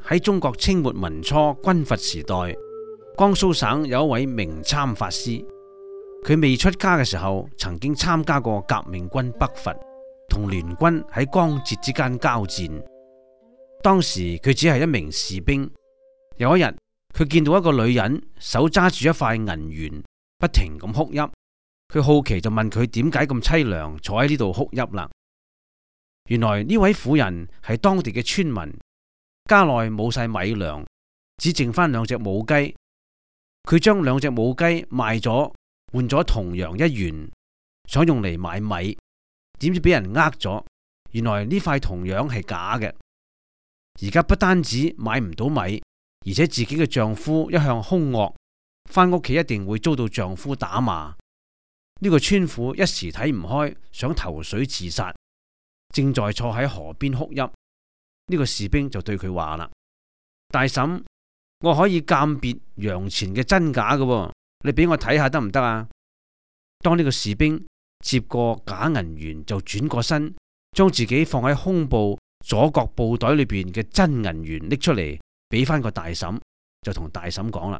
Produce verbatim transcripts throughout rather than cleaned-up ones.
喺中國清末民初軍閥時代，江蘇省有一位明參法師，佢未出家嘅時候，曾經參加過革命軍北伐，同聯軍喺江浙之間交戰。當時佢只係一名士兵。有一日，佢見到一個女人手揸住一塊銀元，不停咁哭泣。佢好奇就問佢點解咁淒涼，坐喺呢度哭泣啦。原來呢位婦人係當地嘅村民，家內冇晒米糧，只剩翻兩隻母雞。佢將兩隻母雞賣咗，換咗銅洋一元，想用嚟買米，點知俾人呃咗。原來呢塊銅洋係假嘅。而家不單止買唔到米，而且自己嘅丈夫一向兇惡，翻屋企一定會遭到丈夫打罵。呢個村婦一時睇唔開，想投水自殺，正在坐喺河邊哭泣。呢個士兵就對佢話啦：大嬸，我可以鑑別洋錢嘅真假嘅，你俾我睇下得唔得啊？當呢個士兵接過假銀元，就轉過身，將自己放喺胸部左角布袋裏邊嘅真銀元拎出嚟，俾翻個大嬸，就同大嬸講啦：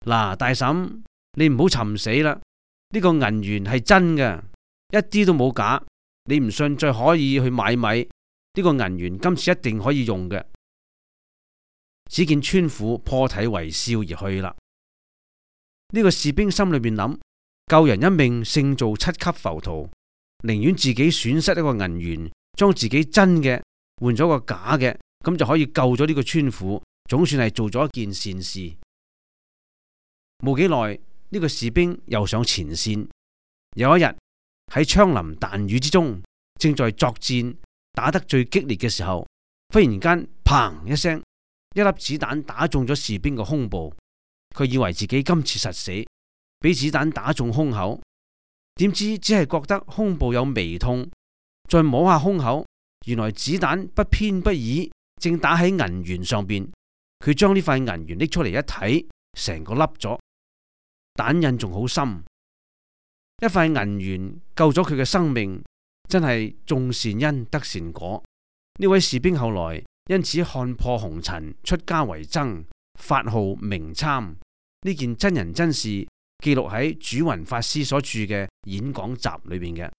嗱，大嬸，你唔好尋死啦，呢個銀元係真嘅，一啲都冇假。你唔信，再可以去買米，呢個銀元今次一定可以用嘅。只見村婦破涕為笑而去啦。呢個士兵心裏邊諗：救人一命勝造七級浮屠，寧願自己損失一個銀元，將自己真嘅換咗個假嘅，咁就可以救咗呢個村婦，總算係做咗一件善事。冇幾耐，呢個士兵又上前線。有一日喺槍林彈雨之中，正在作戰打得最激烈嘅時候，忽然間砰一聲，一粒子彈打中咗士兵嘅胸部。佢以為自己今次實死，俾子彈打中胸口，點知只係覺得胸部有微痛，再摸下胸口，原來子彈不偏不倚，正打喺銀元上邊。佢將呢塊銀元拎出嚟一睇，成個凹咗，彈印仲好深。一塊銀元救咗佢嘅生命，真係種善因得善果。呢位士兵後來因此看破紅塵，出家為僧，法號明參。呢件真人真事記錄喺主雲法師所著嘅演講集裏邊嘅。